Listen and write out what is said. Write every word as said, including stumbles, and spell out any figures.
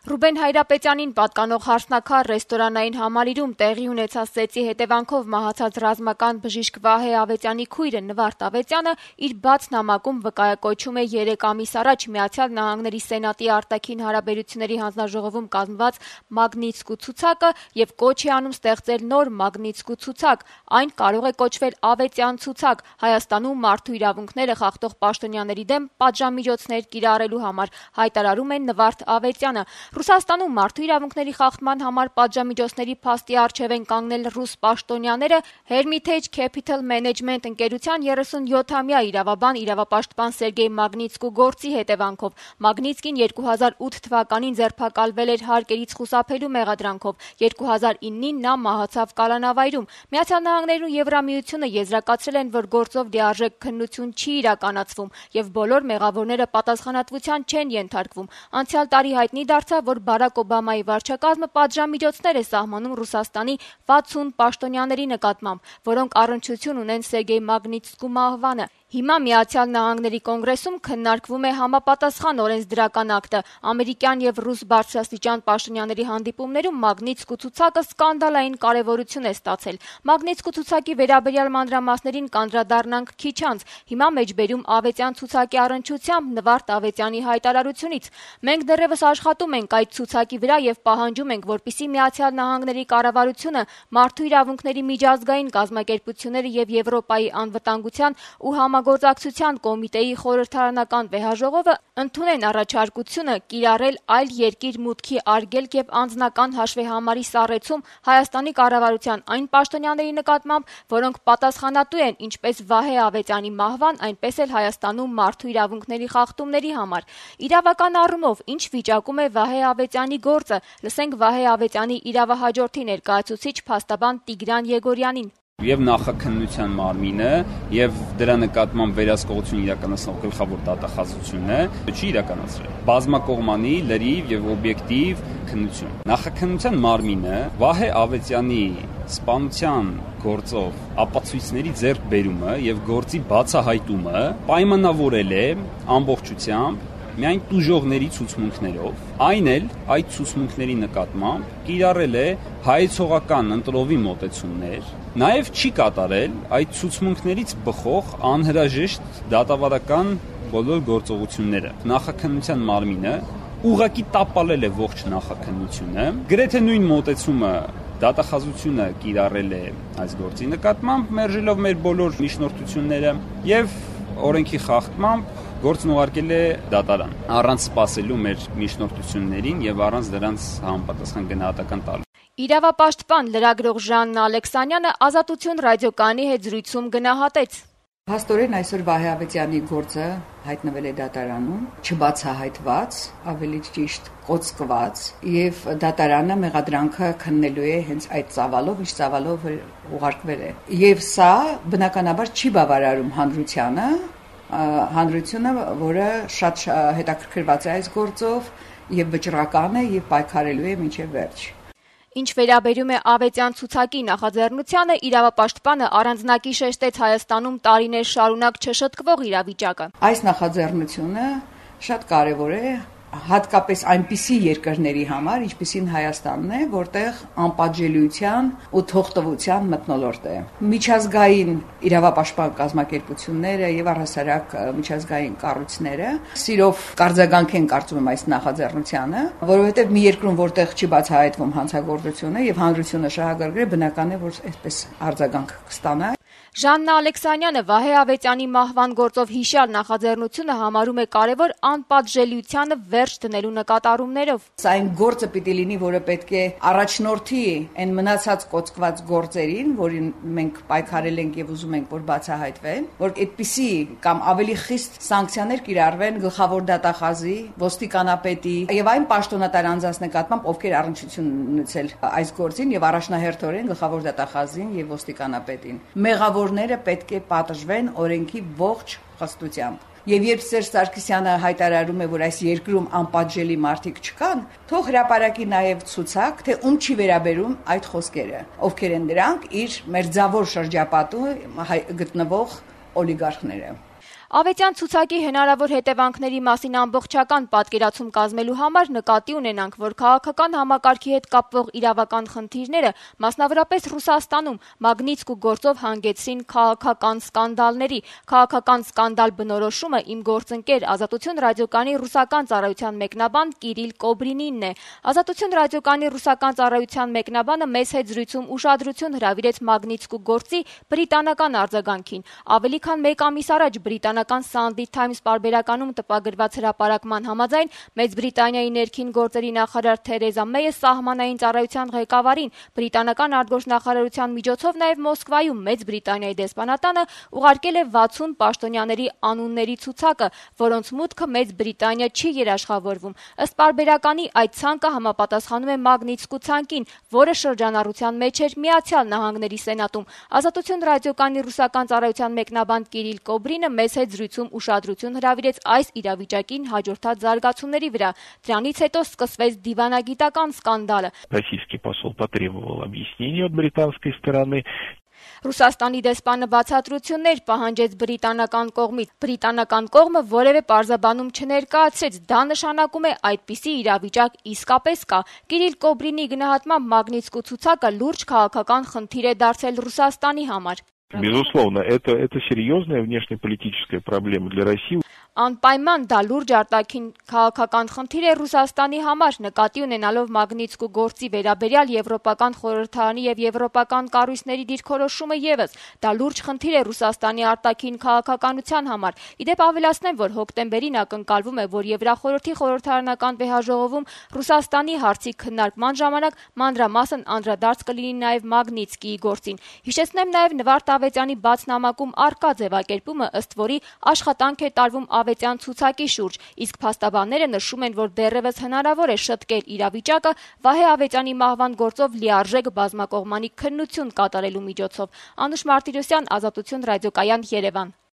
Ռուբեն Հայրապետյանին պատկանող հարսնաքար ռեստորանային համալիրում տեղի ունեցած ծեծի հետևանքով մահացած ռազմական բժիշկ Վահե Ավետյանի քույրը Նվարդ Ավետյանը իր բաց նամակում վկայակոչում է երեք ամիս առաջ Միացյալ Նահանգների Սենատի արտաքին հարաբերությունների հանձնաժողովում կազմված Մագնիտսկու ցուցակը եւ կոչ է անում ստեղծել նոր Մագնիտսկու ցուցակ։ Այն կարող է կոչվել Ավետյան ցուցակ Հայաստանում մարդու իրավունքները խախտող պաշտոնյաների դեմ պատժամիջոցներ կիրառելու համար, հայտարարում է Նվարդ Ավետյանը։ Ռուսաստանում մարդու իրավունքների խախտման համար պատժամիջոցների փաստի առջև են կանգնել ռուս պաշտոնյաները Hermitage Capital Management ընկերության երեսունյոթամյա իրավաբան իրավապաշտպան Սերգեյ Մագնիտսկու գործի հետևանքով։ Մագնիտսկին երկու հազար ութ թվականին ձերբակալվել էր հարկերից խուսափելու մեղադրանքով։ երկու հազար իննին նա մահացավ կալանավայրում։ Միացյալ Նահանգներն ու Եվրամիությունը եզրակացրել են, որ գործով լիարժեք քննություն չի իրականացվում եւ բոլոր մեղավորները պատասխանատվության չեն ենթարկվում։ Անցյալ տարի հայտնի դարձավ, որ Բարակ Օբամայի վարչակազմը պատժամիջոցներ է սահմանում Ռուսաստանի վաթսուն պաշտոնյաների նկատմամբ, որոնք առնչություն ունեն Սերգեյ Մագնիտսկու մահվանը։ Հիմա Միացյալ Նահանգների կոնգրեսում քննարկվում է համապատասխան օրենսդրական ակտը։ Ամերիկյան եւ ռուս բարձրաստիճան պաշտոնյաների հանդիպումներում Մագնիտսկու ցուցակը սկանդալային կարեւորություն է ստացել։ Մագնիտսկու ցուցակի վերաբերյալ մանրամասներին կանդրադառնանք քիչ անց։ Հիմա մեջբերում Ավետյան ցուցակի առնչությամբ Նվարդ Ավետյանի հայտարարությունից։ Մենք դեռևս աշխատում ենք այդ ցուցակի վրա եւ պահանջում ենք, որպեսզի Միացյալ Նահանգների կառավարությունը, Մարդու իրավունքների միջազգային կազմակերպությունները եւ Եվրոպայի անվտանգության ու համագործակցության կոմիտեի խորհրդարանական վեհաժողովը ընդունեն առաջարկությունը կիրառել այլ երկիր մուտքի արգելք եւ անձնական հաշվեհամարի սառեցում Հայաստանի կառավարության այն պաշտոնյաների նկատմամբ, որոնք պատասխանատու են ինչպես Վահե Ավետյանի մահվան, այնպես էլ Հայաստանում մարդու իրավունքների խախտումների համար։ Իրավական առումով ինչ վիճակում է Վահե Ավետյանի գործը, լսենք Վահե Ավետյանի իրավահաջորդի ներկայացուցիչ փաստաբան Տիգրան Եգորյանին։ Եվ նախաքննության մարմինը եւ դրա նկատմամբ վերահսկողություն իրականացնող գլխավոր դատախազությունը չի իրականացրել բազմակողմանի, լրիվ եւ օբյեկտիվ քննություն։ Նախաքննության մարմինը Վահե Ավետյանի սպանության գործով ապացույցների ձեռքբերումը եւ գործի բացահայտումը պայմանավորել է ամբողջությամբ միայն տուժողների ցուցմունքներով, այն էլ այդ ցուցմունքների նկատմամբ կիրառել է հայեցողական ընտրովի մոտեցումներ, նաև չի կատարել այդ ցուցմունքներից բխող անհրաժեշտ դատավարական բոլոր գործողությունները։ Նախաքննության մարմինը ուղղակի տապալել է ողջ նախաքննությունը, գրեթե նույն մոտեցումը դատախազությունը կիրառել է այս գործի նկատմամբ, մերժելով մեր բոլոր միջնորդությունները եւ օրենքի խախտմամբ գործն ուղարկել է դատարան, առանց սպասելու մեր միջնորդություններին եւ առանց դրանց համապատասխան գնահատական տալու։ Իրավապաշտպան լրագրող Ժաննա Ալեքսանյանը Ազատություն ռադիոկայանի հետ զրույցում գնահատեց. Փաստորեն այսօր Վահե Ավետյանի գործը հայտնվել է դատարանում, չբացահայտված, ավելի ճիշտ կոծկված, եւ դատարանը մեղադրանքը քննելու է հենց այդ ծավալով, ինչ ծավալով ուղարկվել է։ Եվ սա բնականաբար չի բավարարում հանրությանը, հանրությունը, որը շատ հետաքրքրված է այս գործով եւ վճռական է եւ պայքարելու է մինչեւ վերջ։ Ինչ վերաբերում է Ավետյան ցուցակի նախաձեռնությանը, իրավապաշտպանը առանձնակի շեշտեց Հայաստանում տարիներ շարունակ չշտկվող իրավիճակը։ Այս նախաձեռնությունը շատ կարևոր է հատկապես այնպիսի երկրների համար, ինչպիսին Հայաստանն է, որտեղ անպատժելիության ու թողտվության մթնոլորտ է։ Միջազգային իրավապաշտպան կազմակերպությունները եւ առհասարակ միջազգային կառույցները սիրով կարձագանք են կարծում եմ այս նախաձեռնությանը, որովհետեւ մի երկրում, որտեղ չի բացահայտվում հանցագործությունը եւ հանրությունը շահագրգիռ, բնական է, որ այսպես արձագանք կստանա։ Ժաննա Ալեքսանյանը Վահե Ավետյանի մահվան գործով հիշյալ նախաձեռնությունը համարում է կարևոր անպատժելիությանը վերջ դնելու նկատառումներով։ Սա այն գործը պիտի լինի, որը պետք է առաջնորդի այն մնացած կոծկված գործերին, որին մենք պայքարել ենք եւ ուզում ենք, որ բացահայտվեն, որ այդպիսի կամ ավելի խիստ սանկցիաներ կիրառվեն գլխավոր դատախազի, ոստիկանապետի եւ այն պաշտոնատար անձանց նկատմամբ, ովքեր առնչություն ունեցել այս գործին եւ առաջնահերթորեն գլխավոր դատախազին եւ ոստիկանապետին։ Մեղավորները պետք է պատժվեն օրենքի ողջ խստությամբ։ Եվ երբ Սերժ Սարգսյանը հայտարարում է, որ այս երկրում անպատժելի մարդիկ չկան, թող հրապարակի նաև ցուցակ, թե ում չի վերաբերում այդ խոսքերը, ովքեր են դրանք իր մերձավոր շրջապատում գտնվող օլիգարխները։ Ավետյան ցուցակի հնարավոր հետևանքների մասին ամբողջական պատկերացում կազմելու համար նկատի ունենանք, որ քաղաքական համակարգի հետ կապվող իրավական խնդիրները, մասնավորապես Ռուսաստանում, Մագնիցկու գործով հանգեցրին քաղաքական սկանդալների։ Քաղաքական սկանդալ բնորոշումը իմ գործընկեր Ազատություն ռադիոկայանի ռուսական ծառայության մեկնաբան Կիրիլ Կոբրինինն է։ Ազատություն ռադիոկայանի ռուսական ծառայության մեկնաբանը մեծ հետ զրույցում ուշադրություն հրավիրեց Մագնիցկու գործի բրիտանական արձագանքին։ Ավելի քան մեկ ամիս առաջ բրիտանական Sunday Times պարբերականում տպագրված հրապարակման համաձայն Մեծ Բրիտանիայի ներքին գործերի նախարար Թերեզա Մեյը սահմանային ծառայության ղեկավարին բրիտանական արտգործնախարարության միջոցով նաև Մոսկվայում Մեծ Բրիտանիայի դեսպանատանը ուղարկել է վաթսուն պաշտոնյաների անունների ցուցակը, որոնց մուտքը Մեծ Բրիտանիա չի երաշխավորվում։ Ըստ պարբերականի այդ ցանկը համապատասխանում է Մագնիցկու ցանկին, որը շրջանառության մեջ էր Միացյալ Նահանգների Սենատում։ Ազատություն ռադիոկայանի ռուսական ծառայության մեկնաբան Կիրիլ Կոբրինը մեծ հետ զրույցում уշադրություն հրավիրեց այս իրավիճակին հաջորդած զարգացումների վրա։ Դրանից հետո սկսվեց դիվանագիտական սկանդալը։ Российский посол потребовал объяснений от британской стороны. Ռուսաստանի դեսպանը բացատրություններ պահանջեց բրիտանական կողմից։ Բրիտանական կողմը որևէ պարզաբանում չներկայացրեց։ Դա նշանակում է այդպիսի իրավիճակ իսկապես կա։ Կիրիլ Կոբրինի գնահատմամբ Մագնիցկու ցուցակը լուրջ քաղաքական խնդիր է դարձել Ռուսաստանի համար։ Безусловно, это, это серьезная внешнеполитическая проблема для России. Անպայման դա լուրջ արտաքին քաղաքական խնդիր է Ռուսաստանի համար, նկատի ունենալով Մագնիցկու գործի վերաբերյալ Եվրոպական խորհրդարանի եւ եվրոպական կառույցների դիրքորոշումը եւս։ Դա լուրջ խնդիր է Ռուսաստանի արտաքին քաղաքականության համար։ Իդեպ ավելացնեմ, որ հոկտեմբերին ակնկալվում է, որ Եվրախորհրդի խորհրդարանական վեհաժողովում Ռուսաստանի հարցի քննարկման ժամանակ մանրամասն անդրադարձ կլինի նաեւ Մագնիցկիի գործին։ Հիշեցնեմ նաեւ Նվարդ Ավետյանի բաց նամակում արկա ձևակերպումը, ըստ որի աշխատանք է տարվում Ավետյան ցուցակի շուրջ, իսկ փաստաբանները նշում են, որ դեռևս հնարավոր է շտկել իրավիճակը Վահե Ավետյանի մահվան գործով լիարժեք բազմակողմանի քննություն կատարելու միջոցով։ Անուշ Մարտիրոսյան, Ազատություն ռադիոկայան, Երևան։